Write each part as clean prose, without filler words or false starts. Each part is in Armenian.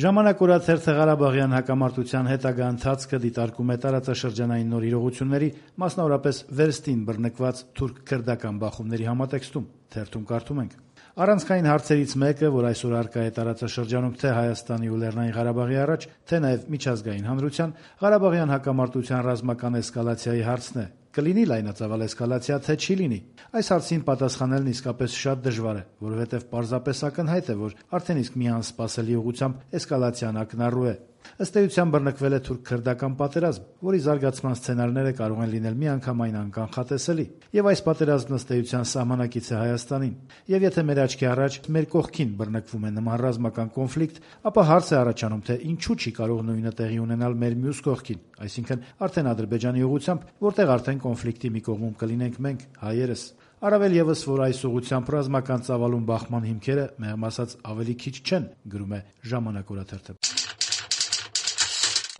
Ժամանակ օրաթերթը Ղարաբաղյան հակամարտության հետագա ընթացքը դիտարկում է տարածաշրջանային նոր իրողությունների, մասնավորապես վերստին բռնկված թուրք-քրդական բախումների համատեքստում։ Թերթում կարդում ենք. Առանցքային հարցերից մեկը, որ այսօր առկա է տարածաշրջանում թե Հայաստանի ու Լեռնային Ղարաբաղի առաջ, թե նաև միջազգային հանրության, Ղարաբաղյան հակամարտության ռազմական էսկալացիայի հարցն է։ Կլինի լայնածավալ էսկալացիա, թե չի լինի։ Այս հարցին պատասխանելն իսկապես շատ դժվար է, որովհետև պարզապես ակնհայտ է, որ արդեն իսկ մի անսպասելի ուղղությամբ էսկալացիան ակնառու է։ Ըստ էության բռնկվել է թուրք-քրդական պատերազմ, որի զարգացման սցենարները կարող են լինել միանգամայն անկանխատեսելի։ Եվ այս պատերազմն ըստ էության սահմանակից է Հայաստանին։ Եվ եթե մեր աչքի առաջ մեր կողքին բռնկվում է նման ռազմական կոնֆլիկտ, ապա հարց է առաջանում, թե ինչու չի կարող նույնը տեղի ունենալ մեր մյուս կողքին, այսինքն արդեն Ադրբեջանի ուղղությամբ, որտեղ արդեն կոնֆլիկտի մի կողմում կլինենք մենք, հայերս։ Առավել եւս, որ այս ուղղությամբ ռազմական ծավալուն բախման հիմքերը, մեղմ ասած, ավելի քիչ չեն, գրում է Ժամանակ օրաթերթը։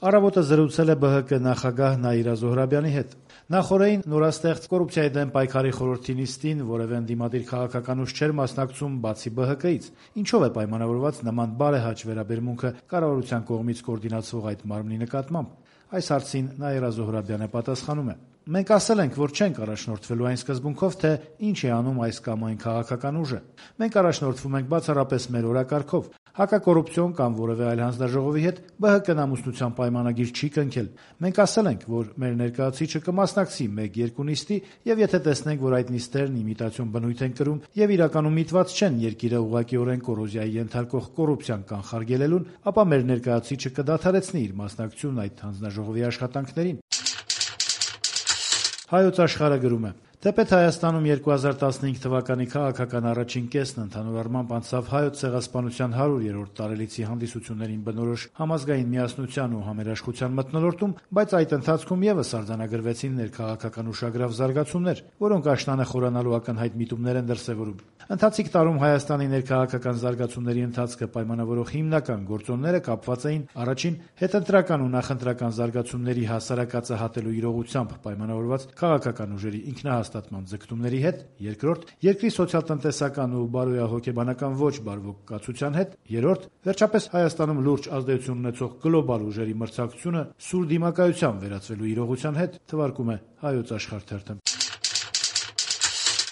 Առավոտը զրուցել է ԲՀԿ նախագահ Նաիրա Զոհրաբյանի հետ։ Նախորդին նորաստեղծ կոռուպցիայի դեմ պայքարի խորհրդի նիստին որևէ ընդդիմադիր քաղաքական ուժ չէր մասնակցում բացի ԲՀԿ-ից։ Ինչով է պայմանավորված նման բարեհաճ վերաբերմունքը կառավարության կողմից կոորդինացվող այդ մարմնի նկատմամբ։ Այս հարցին Նաիրա Զոհրաբյանը պատասխանում է. Մենք ասել ենք, որ չենք առաջնորդվելու այն սկզբունքով, թե ինչ է անում այս կամ այն քաղաքական ուժը։ Մենք առաջնորդվում ենք բացառապես մեր օրակարգով։ Հակակոռուպցիոն կամ որևէ այլ հանձնաժողովի հետ ԲՀԿ-ն ամուսնության պայմանագիր չի կնքել։ Մենք ասել ենք, որ մեր ներկայացուցիչը կմասնակցի 1-2 նիստի, եւ եթե տեսնենք, որ այդ նիստերն իմիտացիոն բնույթ են կրում եւ իրականում միտված չեն երկիրը ուղղակիորեն կոռոզիայի ենթարկող կոռուպցիան կանխարգելելուն, ապա մեր ներկայացուցիչը կդադարեցնի իր մասնակցությունն այդ հանձնաժողովի աշխատանքներին։ Հայոց աշխարհը գրում է. Թեպետ Հայաստանում 2015 թվականի քաղաքական առաջին կեսն ընդհանուր առմամբ անցավ Հայոց ցեղասպանության 100-րդ տարելիցի հանդիսություններին բնորոշ համազգային միասնության ու համերաշխության մթնոլորտում, բայց այդ ընթացքում եւս արձանագրվեցին ներքաղաքական ուշագրավ զարգացումներ, որոնք աշնանը խորանալու ակնհայտ միտումներ են դրսևորում։ Ընթացիկ տարում Հայաստանի ներքաղաքական զարգացումների ընթացքը պայմանավորող հիմնական գործոնները կապված էին առաջին հետընտրական ու նախընտրական զարգացումների հասարակածը իրողությամբ պայմանավորված քաղաքական ուժերի ինքնահաստատման ձգտումների հետ, երկրորդ, երկրի սոցիալ-տնտեսական ու բարոյահոգեբանական ոչ բարվոկացության հետ, երրորդ, վերջապես Հայաստանում լուրջ ազդեցություն ունեցող գլոբալ ուժերի մրցակցությունը սուր դիմակայության վերածվելու իրողության հետ, թվարկում է Հայոց աշխարհ թերթը։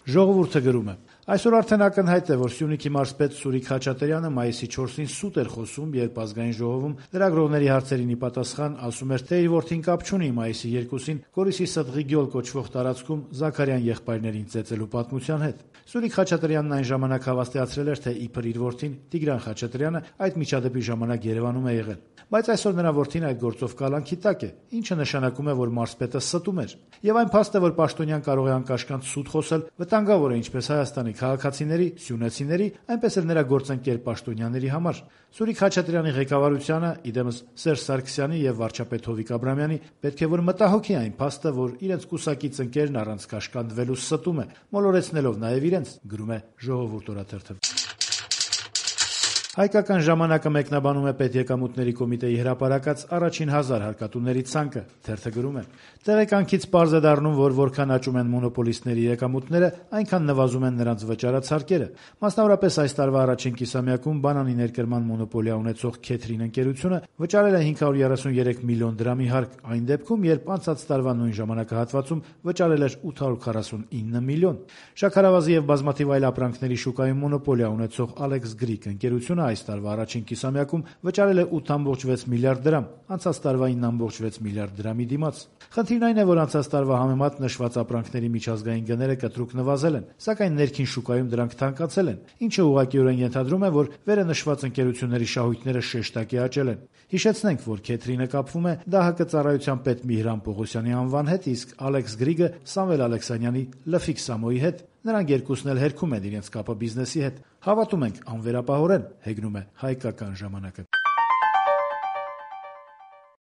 Ժողովուրդը գրում է. Այսօր արդեն ակնհայտ է, որ Սյունիքի մարզպետ Սուրիկ Խաչատրյանը մայիսի 4-ին սուտ էր խոսում, երբ ազգային ժողովում լրագրողների հարցերին ի պատասխան ասում էր, թե իր որդին կապ չունի մայիսի 2-ին Գորիսի Սդղիգյոլ կոչվող տարածքում Զաքարյան եղբայրներին ծեծելու պատմության հետ։ Սուրիկ Խաչատրյանն այն ժամանակ հավաստիացրել էր, թե իբր իր որդին Տիգրան Խաչատրյանը այդ միջադեպի ժամանակ Երևանում է եղել։ Բայց այսօր նրա որդին այդ գործով կալանքի տակ է, ինչը նշանակում է, որ մարզպետը ստում էր։ Եվ այն փաստը, որ Պաշտոնյան կարող է անկաշկանդ սուտ խոսել, վտանգավոր է ինչպես Հայաստանի քաղաքացիների, սյունեցիների, այնպես էլ նրա գործընկեր պաշտոնյաների համար։ Սուրիկ Խաչատրյանի ղեկավարությանը, իդեմս Սերժ Սարգսյանի եւ վարչապետ Հովիկ Աբրամյանի պետք է որ մտահոգի այն փաստը, որ իրենց կուսակից ընկերն առանց կաշկանդվելու ստում է, մոլորեցնելով նաեւ իրենց, գրում է Ժողովուրդ օրաթերթը։ Հայկական ժամանակը մեկնաբանում է Պետեկամուտների կոմիտեի հրապարակած առաջին 1000 հարկատուների ցանկը, թերթը գրում է. Տեղեկանքից պարզ է դառնում, որ որքան աճում են մոնոպոլիստների եկամուտները, այնքան նվազում են նրանց վճարած հարկերը։ Մասնավորապես այս տարվա առաջին կիսամյակում բանանի ներկրման մոնոպոլիա ունեցող Քեթրին ընկերությունը վճարել է 533 միլիոն դրամի հարկ, այն դեպքում, երբ անցած տարվա նույն ժամանակահատվածում վճարել էր 849 միլիոն։ Շաքարավազի եւ բազմաթիվ այլ ապրանքների շուկայում մոնոպոլիա ունեցող Alex Greek ընկերությունը այս տարվա առաջին կիսամյակում վճարել է 8.6 միլիարդ դրամ, անցած տարվա 9.6 միլիարդ դրամի դիմաց։ Խնդիրն այն է, որ անցած տարվա համեմատ նշված ապրանքների միջազգային գները կտրուկ նվազել են, սակայն ներքին շուկայում դրանք թանկացել են, ինչը ուղղակիորեն ենթադրում է, որ վերը նշված ընկերությունների շահույթները շեշտակի աճել են։ Հիշեցնենք, որ Քեթրինը կապվում է ԴՀԿ ծառայության պետ Միհրան Պողոսյանի անվան հետ, իսկ Alex Greek-ը Սամվել Ալեքսանյանի Լֆիկ Սամոյի հետ։ Նրանք երկուսն էլ հերքում են իրենց կապը բիզնեսի հետ։ Հավատում ենք անվերապահորեն, հեգնում է Հայկական ժամանակը։